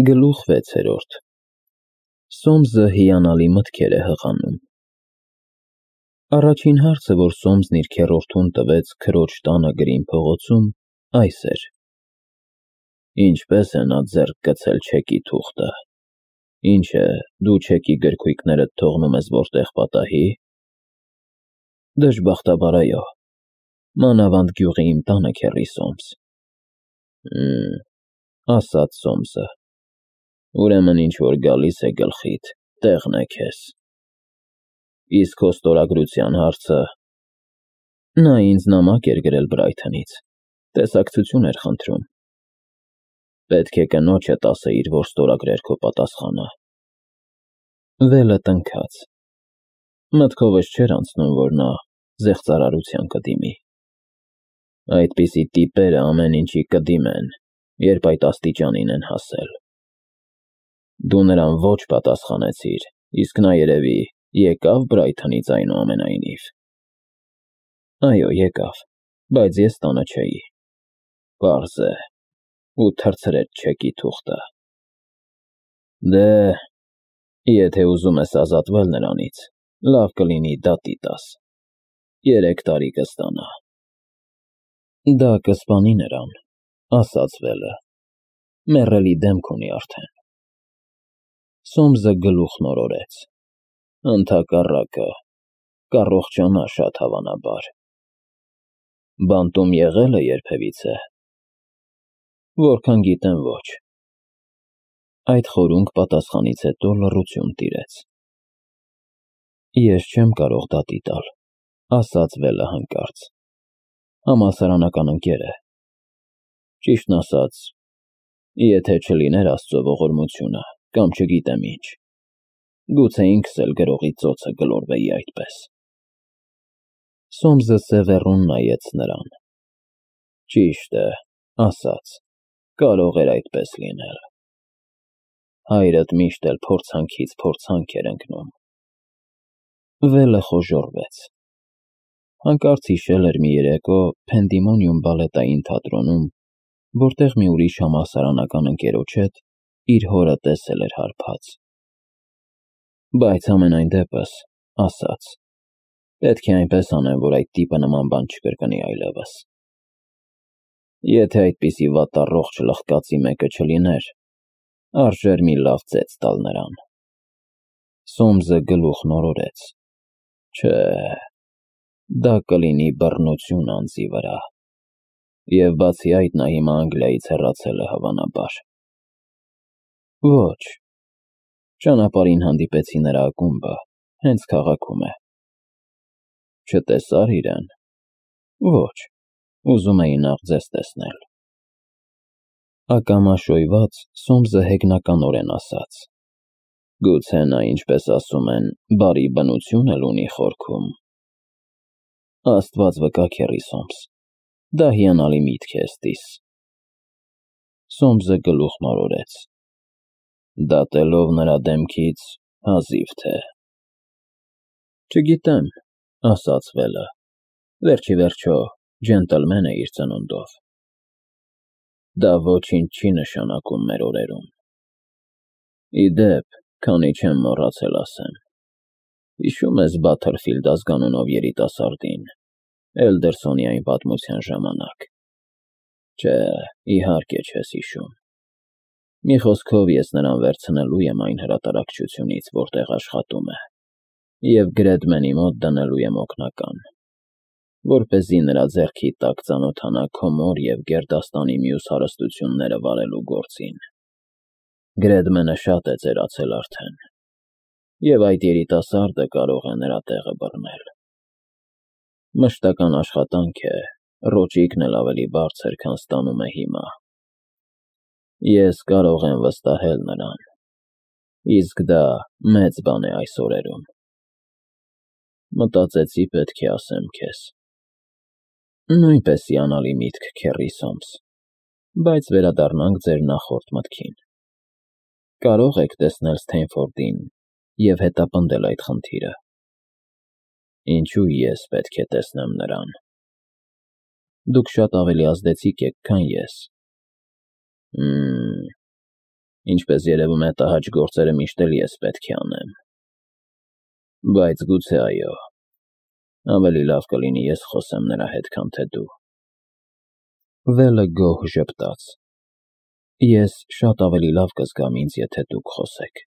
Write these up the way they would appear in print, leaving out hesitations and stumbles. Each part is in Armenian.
Գլուխ 6. Սոմսը հիանալի մտքեր է հղանում։ Առաջին հարցը, որ Սոմսն իր քեռորդուն տվեց քրոջ տանը Գրին փողոցում, այս էր. Ինչպես է նա ձեռք գցել չեկի թուղթը։ Ինչ է, դու չեկի գրքույկներդ թողնում ես որտեղ պատահի։ Դժբախտաբար այո, մանավանդ գյուղի իմ տանը, քեռի Սոմս։ Ասաց Սոմսը, ուրեմն ինչ որ գալիս է գլխիդ, տեղն է քեզ։ Իսկ քո ստորագրության հարցը։ Նա ինձ նամակ էր գրել Բրայթոնից, տեսակցություն էր խնդրում։ Պետք է կնոջդ ասեիր, որ ստորագրեր քո պատասխանը։ Վելը տնքաց։ Մտքովս չէր անցնում, որ նա զեղծարարության կդիմի։ Այդպիսի տիպերը ամեն ինչի կդիմեն, երբ այդ աստիճանին են հասել։ Դու նրան ոչ պատասխանեցիր, իսկ նա երևի եկավ Բրայթոնից այնուամենայնիվ։ Այո, եկավ, բայց ես տանը չէի։ Պարզ է, ու թռցրեց չեկի թուղթը։ Դե, եթե ուզում ես ազատվել նրանից, լավ կլինի դատի տաս։ 3 տարի կստանա։ Դա կսպանի նրան, ասաց Վելը, մեռելի դեմք ունի արդեն։ Սոմսը գլուխն օրորեց։ Ընդհակառակը, կառողջանա շատ հավանաբար։ Բանտում եղել է երբևիցե։ Որքան գիտեմ, ոչ։ Այդ խորունկ պատասխանից հետո լռություն տիրեց։ Ես չեմ կարող դատի տալ, ասաց Վելը հանկարծ։ Համալսարանական ընկեր է։ Ճիշտն ասած, եթե չլիներ Աստծո ողորմությունը, կամ չգիտեմ ինչ, գուցե ինքս էլ գրողի ծոցը գլորվեի այդպես։ Սոմսը սևեռուն նայեց նրան։ Ճիշտ է, ասաց, կարող էր այդպես լինել։ Հայրդ միշտ էլ փորձանքից փորձանք էր ընկնում։ Վելը խոժոռվեց։ Հանկարծ հիշել էր մի երեկո Փենդիմոնիում բալետային թատրոնում, որտեղ մի ուրիշ համալսարանական ընկերոջ հետ իր հորը տեսել էր հարբած։ Բայց ամենայն դեպս, ասաց, պետք է այնպես անեմ, որ այդ տիպը նման բան չկրկնի այլևս։ Եթե այդպիսի վատառողջ լխկացի մեկը չլիներ, արժեր մի լավ ծեծ տալ նրան։ Սոմսը գլուխն օրորեց։ Չէ, դա կլինի բռնություն անձի վրա։ Եվ բացի այդ նա հիմա Անգլիայից հեռացել է հավանաբար։ Ոչ, ճանապարհին հանդիպեցի նրա ակումբը, հենց քաղաքում է։ Չտեսա՞ր իրեն։ Ոչ, ուզում էի նախ ձեզ տեսնել։ Ակամաշոյված Սոմսը հեգնականորեն ասաց. Գուցե նա, ինչպես ասում են, բարի բնություն էլ ունի խորքում։ Աստված վկա, քեռի Սոմս, դա հիանալի միտք է ստիս։ Սոմսը գլուխն օրորեց։ Դատելով նրա դեմքից, հազիվ թե։ Չգիտեմ, ասաց Վելը, վերջի վերջո, ջենտլմեն է իր ծնունդով։ Դա ոչինչ չի նշանակում մեր օրերում։ Ի դեպ, քանի չեմ մոռացել ասեմ։ Հիշում ես Բաթերֆիլդ ազգանունով երիտասարդին, Էլդերսոնի այն պատմության ժամանակ։ Չէ, իհարկե չես հիշում։ Մի խոսքով ես նրան վերցնելու եմ այն հրատարակչությունից, որտեղ աշխատում է, և Գրեդմենի մոտ դնելու եմ օգնական, որպեսզի նրա ձեռքի տակ ծանոթանա քո մոր և գերդաստանի մյուս հարստությունները վարելու գործին։ Գրեդմենը շատ է ծերացել արդեն, և այդ երիտասարդը կարող է նրա տեղը բռնել։ Մշտական աշխատանք է, ռոճիկն էլ ավելի բարձր, քան ստանում է հիմա։ Ես կարող եմ վստահել նրան, իսկ դա մեծ բան է այս օրերում։ Մտածեցի պետք է ասեմ քեզ։ Նույնպես հիանալի միտք, քեռի Սոմս, բայց վերադառնանք ձեր նախորդ մտքին։ Կարող եք տեսնել Սթենֆորդին և հետապնդել այդ խնդիրը։ Ինչու ես պետք է տեսնեմ նրան։ Դուք շատ ավելի ազդեցիկ եք, քան ես։ Ինչպես երևում է, տհաճ գործերը միշտ էլ ես պետք է անեմ։ Բայց գուցե այո, ավելի լավ կլինի ես խոսեմ նրա հետ, քան թե դու։ Վելը գոհ ժպտաց։ Ես շատ ավելի լավ կզգամ ինձ, եթե դուք խոսեք։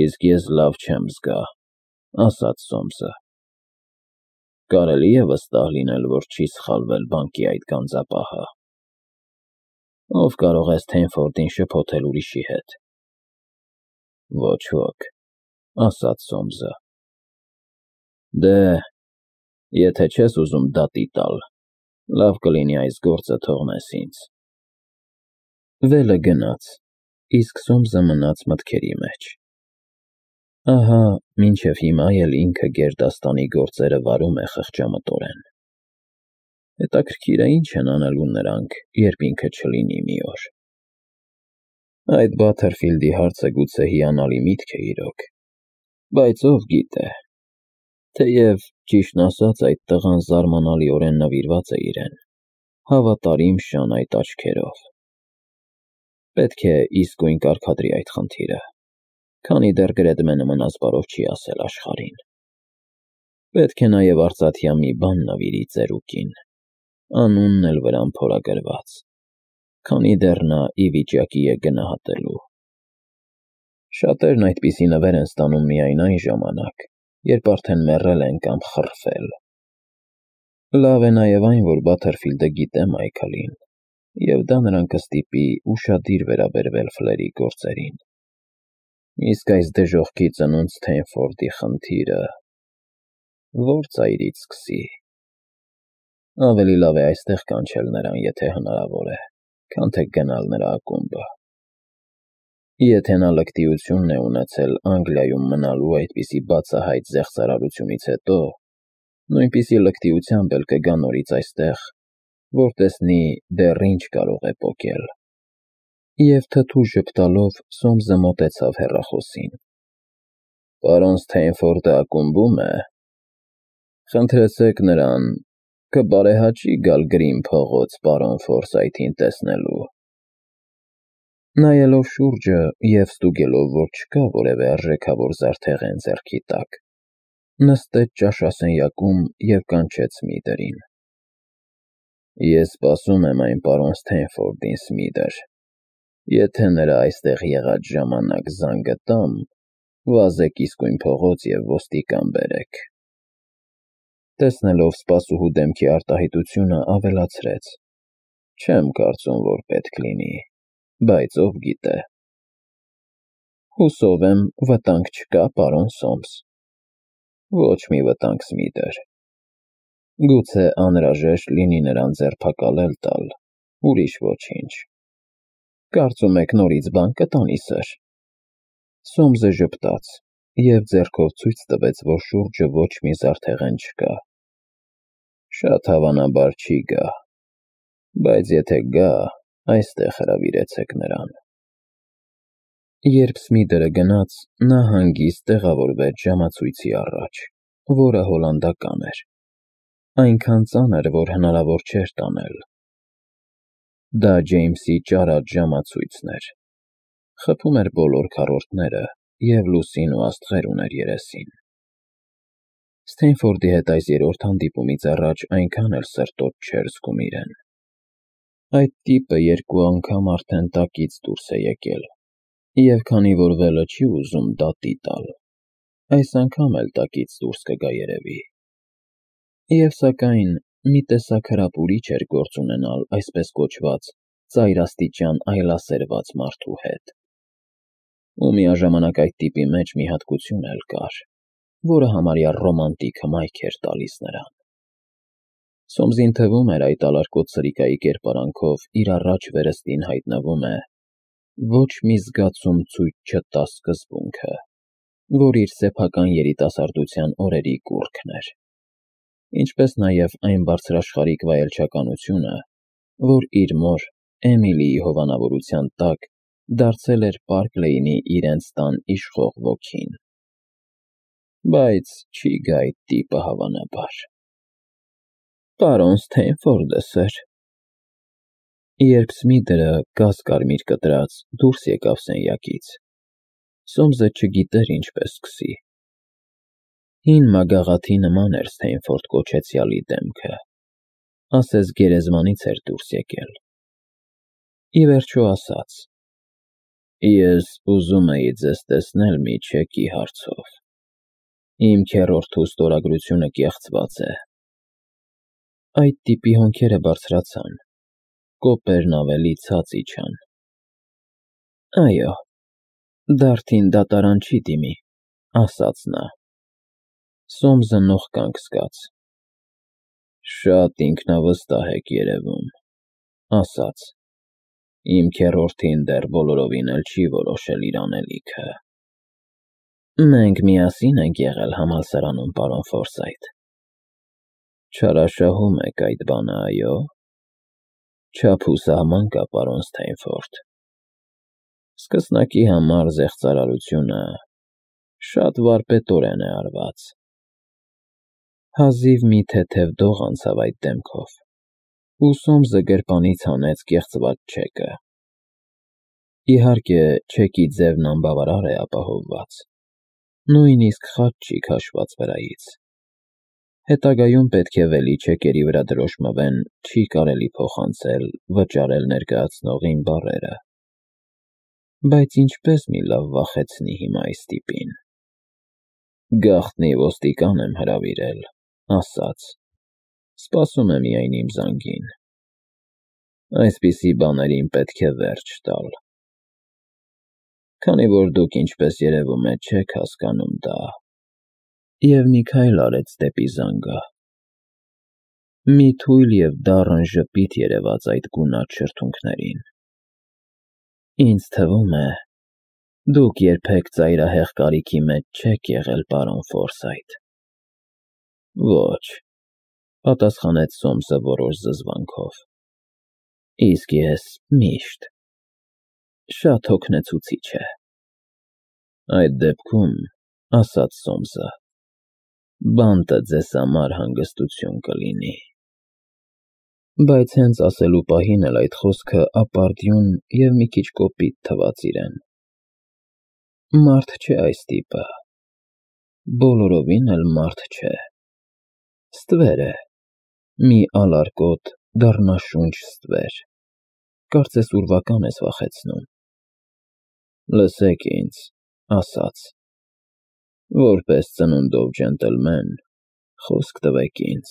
Իսկ ես լավ չեմ զգա, ասաց Սոմսը։ Կարելի է վստահ լինել, որ չի սխալվել բանկի այդ գանձապահը։ Ով կարող է Սթենֆորդին շփոթել ուրիշի հետ։ Ոչ ոք, ասաց Սոմսը։ Դե, եթե չես ուզում դատի տալ, լավ կլինի այս գործը թողնես ինձ։ Վելը գնաց, իսկ Սոմսը մնաց մտքերի մեջ։ Ահա, մինչև հիմա էլ ինքը գերդաստանի գործերը վարում է խղճամտորեն։ Հետաքրքիր է ինչ են անելու նրանք, երբ ինքը չլինի մի օր։ Այդ Բաթերֆիլդի հարցը գուցե հիանալի միտք է իրոք, բայց ով գիտե, թեև ճիշտն ասած այդ տղան զարմանալիորեն նվիրված է իրեն, հավատարիմ շանայտ աչքերով։ Պետք է իսկույն կարգադրի այդ խնդիրը, քանի դեռ գրեդմենը մնաց բարով չի ասել աշխարհին։ Պետք է նաև արծաթյա մի բան նվիրի ծերուկին, անունն էլ վրան փորագրված, քանի դեռ նա ի վիճակի է գնահատելու։ Շատերն այդպիսի նվեր են ստանում միայն այն ժամանակ, երբ արդեն մեռել են կամ խռվել։ Լավ է նաև այն, որ Բաթերֆիլդը գիտե Մայքլին, և դա նրան կստիպի ուշադիր վերաբերվել Ֆլերի գործերին։ Իսկ այս դժոխքի ծնունդ Սթենֆորդի խնդիրը ո՞ր ծայրից սկսի։ Ավելի լավ է այստեղ կանչել նրան, եթե հնարավոր է, քան թե գնալ նրա ակումբը։ Եթե նա լկտիությունն է ունեցել Անգլիայում մնալու այդպիսի բացահայտ զեղծարարությունից հետո, նույնպիսի լկտիությամբ էլ կգա նորից այստեղ, որ տեսնի դեռ ինչ կարող է պոկել։ Եվ թթու ժպտալով Սոմսը մոտեցավ հեռախոսին։ Պարոն Սթենֆորդը ակումբում է։ Խնդրեցեք նրան, կբարեհաճի գալ Գրին փողոց պարոն Ֆորսայթին տեսնելու։ Նայելով շուրջը և ստուգելով, որ չկա որևէ արժեքավոր զարդեղեն ձեռքի տակ, նստեց ճաշասենյակում և կանչեց Սմիթերին։ Ես սպասում եմ այն պարոն Սթենֆորդին, Սմիթեր։ Եթե նրա այստեղ եղած ժամանակ զանգը տամ, վազեք իսկույն փողոց և ոստիկան բերեք։ Տեսնելով սպասուհու դեմքի արտահայտությունը, ավելացրեց. Չեմ կարծում, որ պետք լինի, բայց ով գիտե։ Հուսով եմ, վտանգ չկա, պարոն Սոմս։ Ոչ մի վտանգ, Սմիթեր։ Գուցե անհրաժեշտ լինի նրան ձերբակալել տալ, ուրիշ ոչինչ։ Կարծում եք նորից բան կտանի, սըր։ Սոմսը ժպտաց և ձեռքով ցույց տվեց, որ շուրջը ոչ մի զարդեղեն չկա։ Շատ հավանաբար չի գա, բայց եթե գա, այստեղ հրավիրեցեք նրան։ Երբ Սմիթերը գնաց, նա հանգիստ տեղավորվեց ժամացույցի առաջ, որը հոլանդական էր, այնքան ծանր, որ հնարավոր չէր տանել։ Դա Ջեյմսի ճարած ժամացույցն էր, խփում էր բոլոր քառորդները և լուսին ու աստղեր ուներ երեսին։ Սթենֆորդի հետ այս երրորդ հանդիպումից առաջ այնքան էլ սրտոտ չէր զգում իրեն։ Այդ տիպը երկու անգամ արդեն տակից դուրս է եկել, և քանի որ Վելը չի ուզում դատի տալ, այս անգամ էլ տակից դուրս կգա երևի։ Եվ սակայն մի տեսակ հրապուրիչ էր գործ ունենալ այսպես կոչված ծայրաստիճան այլասերված մարդու հետ։ Ու միաժամանակ այդ տիպի մեջ մի հատկություն էլ կար, որը համարյա ռոմանտիկ հմայք էր տալիս նրան։ Սոմսին թվում էր այդ ալարկոտ սրիկայի կերպարանքով իր առաջ վերստին հայտնվում է ոչ մի զգացում ցույց չտա սկզբունքը, որ իր սեփական երիտասարդության օրերի կուռքն էր, ինչպես նաև այն բարձրաշխարհիկ վայելչականությունը, որ իր մոր Էմիլիի հովանավորության տակ դարձել էր Պարկ Լեյնի իրենց տան իշխող ոգին։ Բայց չի գա այդ տիպը, հավանաբար։ Պարոն Սթենֆորդը, սըր։ Երբ Սմիթերը գազ-կարմիր կտրած դուրս եկավ սենյակից, Սոմսը չգիտեր ինչպես սկսի։ Հին մագաղաթի նման էր Սթեյնֆորդ կոչեցյալի դեմքը, ասես գերեզմանից էր դուրս եկել։ Ի վերջո ասաց. «Ես ուզում էի ձեզ տեսնել մի չեկի հարցով։ Իմ քեռորդու ստորագրությունը կեղծված է»։ Այդ տիպի հոնքերը բարձրացան, կոպերն ավելի ցած իջան։ «Այո, դարդին դատարան չի դիմի», ասաց նա։ Սոմսը նող կանգ զգաց։ «Շատ ինքնավստահ եք երևում», ասաց։ «Իմ քեռորդին դեռ բոլորովին էլ չի որոշել իր անելիքը»։ «Մենք միասին ենք եղել համալսարանում, պարոն Ֆորսայթ»։ «Չարաշահում եք այդ բանը, այո՞։ Չափ ու սահման կա, պարոն Սթեյնֆորդ։ Սկսնակի համար զեղծարարությունը շատ վարպետորեն է արված»։ Հազիվ մի թեթև դող անցավ այդ դեմքով, ու Սոմսը գրպանից հանեց կեղծված չեկը։ Իհարկե, չեկի ձևն անբավարար է ապահովված, նույնիսկ խաչ չի քաշված վրայից։ Հետագայում պետք է վելի չեկերի վրա դրոշմվեն «չի կարելի փոխանցել, վճարել ներկայացնողին» բառերը։ Բայց ինչպես մի լավ վախեցնի հիմա այս տիպին։ «Գաղտնի ոստիկան եմ հրավիրել», ասաց։ «Սպասում է միայն իմ զանգին։ Այսպիսի բաներին պետք է վերջ տալ։ Քանի որ դուք, ինչպես երևում է, չեք հասկանում դա»։ Եվ մի քայլ արեց դեպի զանգը։ Մի թույլ և դառն ժպիտ երևաց այդ գունատ շրթունքներին։ «Ինձ թվում է, դուք երբեք ծայրահեղ կարիքի մեջ չեք եղել, պարոն Ֆորսայթ»։ «Ոչ», պատասխանեց Սոմսը որոշ զզվանքով։ «Իսկ ես միշտ։ Շատ հոգնեցուցիչ է»։ «Այդ դեպքում», ասաց Սոմսը, «բանտը ձեզ համար հանգստություն կլինի»։ Բայց հենց ասելու պահին էլ այդ խոսքը ապարդյուն և մի քիչ կոպիտ թվաց իրեն։ Մարդ չէ այս տիպը։ Բոլորովին էլ մարդ չէ։ Ստվեր է, մի ալարկոտ, դառնաշունչ ստվեր։ Կարծես ուրվական ես վախեցնում։ «Լսեք ինձ», ասաց, «որպես ծնունդով ջենտլմեն, խոսք տվեք ինձ,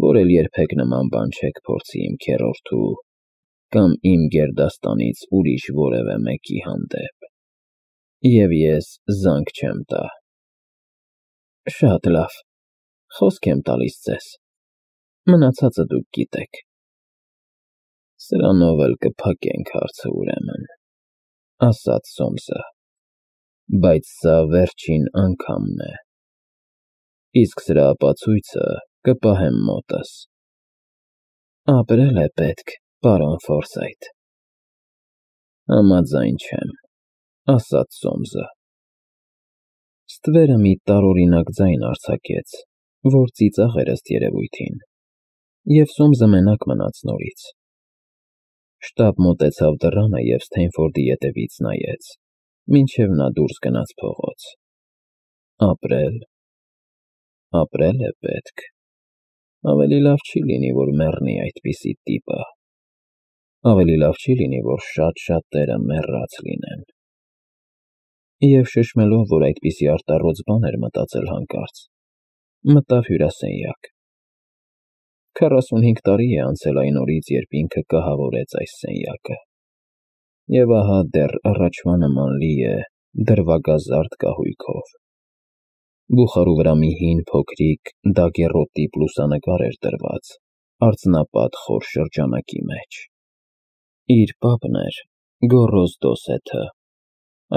որ էլ երբեք նման բան չեք փորձի իմ քեռորդու կամ իմ գերդաստանից ուրիշ որևէ մեկի հանդեպ, և ես զանգ չեմ տա»։ «Շատ լավ, խոսք եմ տալիս ձեզ, մնացածը դուք գիտեք»։ «Սրանով էլ կփակենք հարցը, ուրեմն», ասաց Սոմսը, «բայց սա վերջին անգամն է։ Իսկ սրա ապացույցը կպահեմ մոտս»։ «Ապրել է պետք, պարոն Ֆորսայթ»։ «Համաձայն չեմ», ասաց Սոմսը։ Ստվերը մի տարօրինակ ձայն արձակեց, որ ծիծաղ էր ըստ երևույթին, և Սոմսը մենակ մնաց նորից։ Շտապ մոտեցավ դռանը և Սթեյնֆորդի ետևից նայեց, մինչև նա դուրս գնաց փողոց։ Ապրել։ Ապրել է պետք։ Ավելի լավ չի լինի, որ մեռնի այդպիսի տիպը։ Ավելի լավ չի լինի, որ շատ-շատերը մեռած լինեն։ Եվ շշմելով, որ այդպիսի արտառոց բան էր մտածել հանկարծ, մտավ հյուրասենյակ։ 45 տարի է անցել այն օրից, երբ ինքը կահավորեց այս սենյակը։ Եվ ահա դեռ առաջվա նման լի է դրվագազարդ կահույքով։ Բուխարու վրա մի հին փոքրիկ դագերոտիպ լուսանկար էր դրված արծնապատ խոր շրջանակի մեջ։ Իր պապն էր, գոռոզ դոսեթը,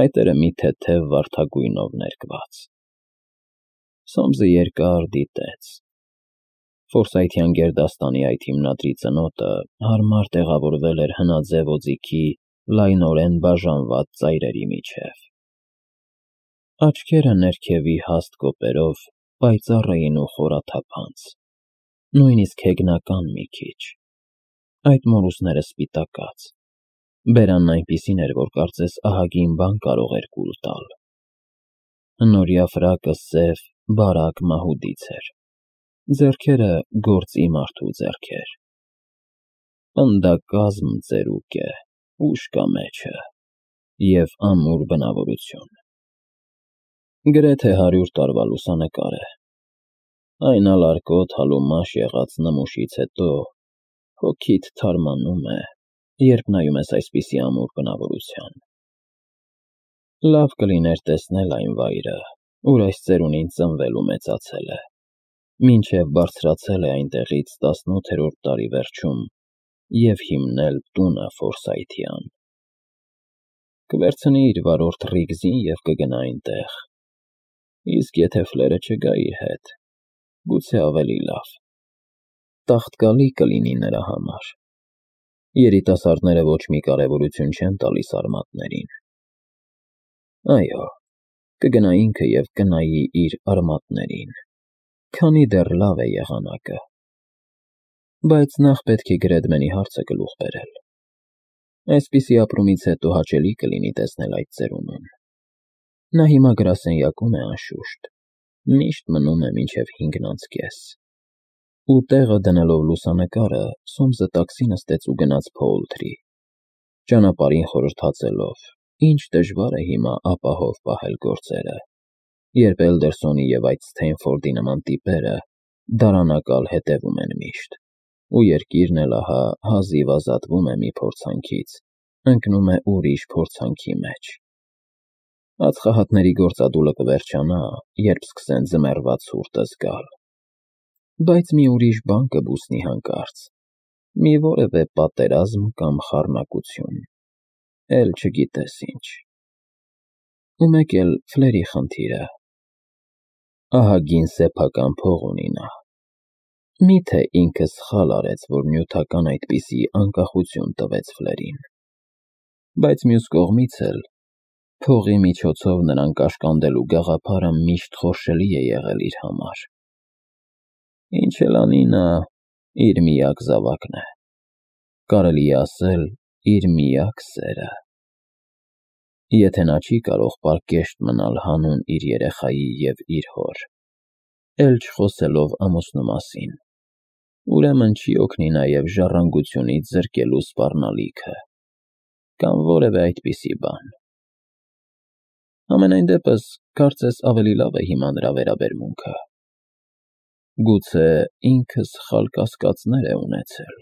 այտերը մի թեթև վարդագույնով ներկված։ Սոմսը երկար դիտեց։ Ֆորսայթյան գերդաստանի այդ հիմնադրի ծնոտը հարմար տեղավորվել էր հնաձև օձիքի լայնորեն բաժանված ծայրերի միջև։ Աչքերը ներքևի հաստ կոպերով պայծառ էին ու խորաթափանց, նույնիսկ հեգնական մի քիչ, Այդ մորուսները սպիտակած։ Բերանն այնպիսին էր, որ կարծես ահագին բան կարող էր կուլ տալ։ Հնորյա ֆրակը սև, բարակ մահուդից էր։ Ձեռքերը գործի մարդու ձեռքեր։ Պնդակազմ ծերուկ է, ուշ կա մեջը, և ամուր բնավորություն։ Գրեթե 100 տարվա լուսանկար է։ Այն ալարկոտ հալումաշ եղած նմուշից հետո հոգիդ թարմանում է, երբ նայում ես այսպիսի ամուր բնավորության։ Լավ կլիներ տեսնել այն վայրը, ուր այս ծերունին ծնվել ու մեծացել է, մինչև բարձրացել է այնտեղից 18-րդ դարի վերջում և հիմնել տունը Ֆորսայթյան։ Կվերցնի իր վարորդ Ռիգզին և կգնա այնտեղ, իսկ եթե Ֆլերը չգա իր հետ, գուցե ավելի լավ, տաղտկալի կլինի նրա համար։ Երիտասարդները ոչ մի կարևորություն չեն տալիս արմատներին։ Այո, կգնա ինքը և կնայի իր արմատներին, քանի դեռ լավ է եղանակը։ Բայց նախ պետք է Գրեդմենի հարցը գլուխ բերել։ Այսպիսի ապրումից հետո հաճելի կլինի տեսնել այդ ծերունուն։ Նա հիմա գրասենյակում է անշուշտ, միշտ մնում է մինչև 5:30։ Ու տեղը դնելով լուսանկարը, Սոմսը տաքսի նստեց ու գնաց Փոուլթրի, ճանապարհին խորհրդածելով, ինչ դժվար է հիմա ապահով պահել գործերը, երբ Էլդերսոնի և այդ Սթեյնֆորդի նման տիպերը դարանակալ հետևում են միշտ, ու երկիրն էլ ահա հազիվ ազատվում է մի փորձանքից, ընկնում է ուրիշ փորձանքի մեջ։ Ածխահատների գործադուլը կվերջանա, երբ սկսեն ձմեռվա ցուրտը զգալ։ Բայց մի ուրիշ բան կբուսնի հանկարծ, մի որևէ պատերազմ կամ խառնակություն, էլ չգիտես ինչ։ Ու մեկ էլ Ֆլերի խնդիրը։ Ահագին սեփական փող ունի նա։ Մի՞թե ինքը սխալ արեց, որ նյութական այդպիսի անկախություն տվեց Ֆլերին։ Բայց մյուս կողմից էլ, փողի միջոցով նրան կաշկանդելու գաղափարը միշտ խորշելի է եղել իր համար։ Ինչ էլ անի նա, իր միակ զավակն է, կարելի է ասել իր միակ սերը։ Եթե նա չի կարող պարկեշտ մնալ հանուն իր երեխայի և իր հոր, էլ չխոսելով ամուսնու մասին, ուրեմն չի օգնի նաև ժառանգությունից զրկելու սպառնալիքը, կամ որևէ այդպիսի բան։ Համենայն դեպս, կարծես ավելի լավ է հիմա նրա վերաբերմունքը։ Գուցե ինքը սխալ կասկածներ է ունեցել։